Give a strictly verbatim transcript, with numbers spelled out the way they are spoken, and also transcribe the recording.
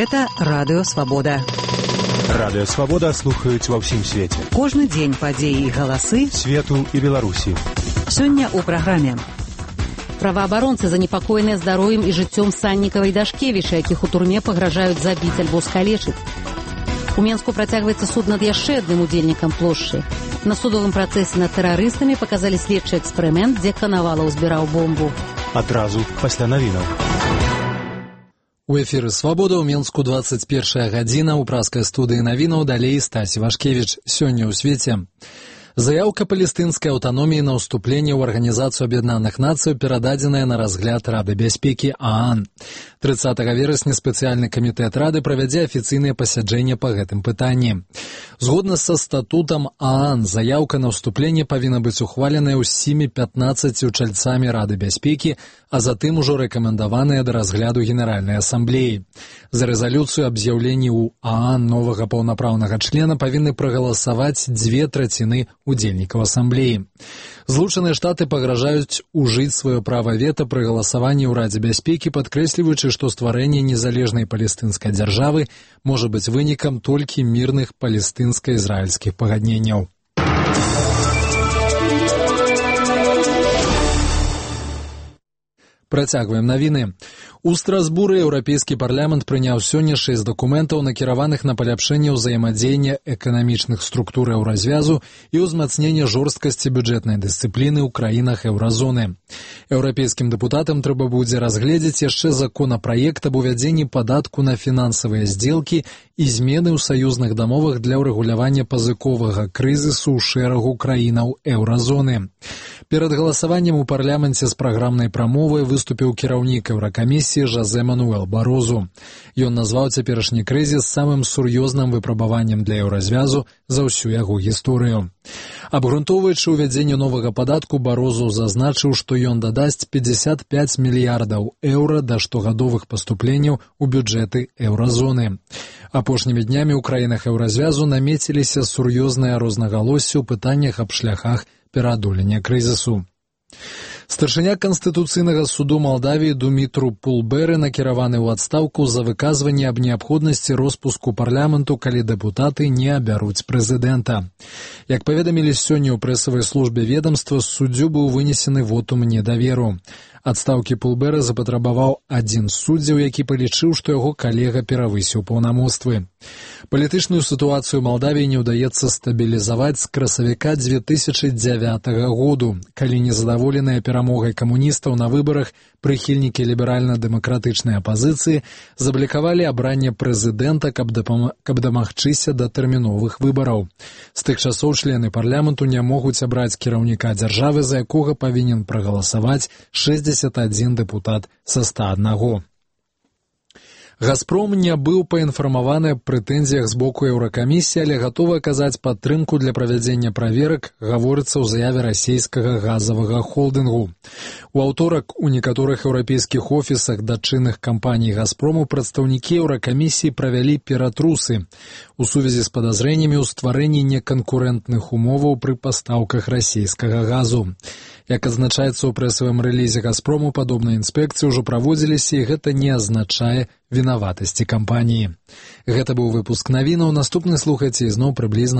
Гэта Радыё Свабода. Радыё Свабода слухаюць ва ўсім свеце. Кожны дзень падзеі і галасы свету і Беларусі. Сёння ў праграме. Праваабаронцы занепакоеныя здароўем і жыццём Саннікава і Дашкевіча, якіх у турме пагражаюць забіць альбо скалечыць. У Менску працягваецца суд над яшчэ адным удзельнікам плошчы. На судовым працэсе над тэрарыстамі паказалі следчы эксперымент, дзе Канавалаў збіраў бомбу. Адразу пасля навінаў. У эфіры «Свабода» ў Менску двадцать першая гадзіна. У праскай студыі навінаў далей Стась Вашкевіч. Сёння ў свеце. Заяўка палестынскай аўтаноміі на ўступленне ў Арганізацыю Аб'яднаных Нацый перададзеная на разгляд Рады бяспекі ААН. трыццатага верасня спецыяльны камітэт Рады правядзе афіцыйнае пасяджэнне па гэтым пытанні. Згодна са статутам ААН, заяўка на ўступленне павінна быць ухваленая ўсімі пятнаццаццю чальцамі Рады бяспекі, а затым ужо рэкамендаваная да разгляду Генеральнай асамблеі. За рэзалюцыю аб з'яўленні ў ААН новага паўнапраўнага члена павінны прагаласаваць дзве траціны удзельнікаў асамблеі. Злучаныя Штаты пагражаюць ужыць сваё права вета пры галасаванні ў Радзе бяспекі, падкрэсліваючы, што стварэнне незалежнай палестынскай дзяржавы можа быць вынікам толькі мірных палестынска-ізраільскіх пагадненняў. Працягваем навіны. У Страсбуры Еўрапейскі парламент прыняў сёння шэсць дакументаў, накіраваных на паляпшэнне ўзаемадзеяння эканамічных структур еўразвязу і ўзмацнення жорсткасці бюджэтнай дысцыпліны ў краінах еўразоны. Еўрапейскім дэпутатам трэба будзе разгледзець яшчэ законапраект аб увядзенні падатку на фінансавыя здзелкі і змены ў саюзных дамовах для ўрэгулявання пазыковага крызісу ў шэрагу краінаў еўразоны. Перад галасаваннем у парламенце з праграмнай прамовай выступіў кіраўнік Еўракамісіі Жозе Мануэл Барозу. Ён назваў цяперашні крызіс самым сур'ёзным выпрабаваннем для еўразвязу за ўсю яго гісторыю. Абгрунтоўваючы ўвядзенне новага падатку, Барозу зазначыў, што ён дадасць пятьдесят пять мільярдаў еўра да штогадовых паступленняў у бюджэты еўразоны. Апошнімі днямі ў краінах еўразвязу намеціліся сур'ёзныя рознагалоссі ў пытаннях аб шляхах пераадолення крызісу. Старшыня Канстытуцыйнага суду Малдавіі Думітру Пулберы накіраваны ў адстаўку за выказванне аб неабходнасці роспуску парламенту, калі дэпутаты не абяруць прэзідэнта. Як паведамілі сёння ў прэсавай службе ведамства, суддзю быў вынесены вотум недаверу. Адстаўкі Пулберы запатрабаваў адзін з суддзяў, які палічыў, што яго калега перавысіў паўнамоцтвы. Палітычную сітуацыю Малдавіі не ўдаецца стабілізаваць з красавіка дзве тысячы дзявятага году, калі незадаволеныя перамогай камуністаў на выбарах прыхільнікі ліберальна-дэмакратычнай апазіцыі заблікавалі абранне прэзідэнта, каб, дапам... каб дамагчыся да тэрміновых выбараў. З тых часоў члены парламенту не могуць абраць кіраўніка дзяржавы, за якога павінен прагаласаваць шэсцьдзесят адзін дэпутат са ста аднаго. «Газпром» не быў паінфармаваны аб прэтэнзіях з боку Еўракамісіі, але гатовы аказаць падтрымку для правядзення праверак, гаворыцца ў заяве расійскага газавага холдынгу. У аўторак у некаторых еўрапейскіх офісах дачынных кампаній «Газпрому» прадстаўнікі Еўракамісіі правялі ператрусы у сувязі з падазрэннямі ў стварэнні неканкурэнтных умоваў пры пастаўках расійскага газу. Як адзначаецца ў прэсавым рэлізе «Газпрому», падобныя інспекцыі ўжо праводзіліся, і гэта не азначае вінаватасці кампаніі. Гэта быў выпуск навінаў. Наступны слухайце ізноў прыблізна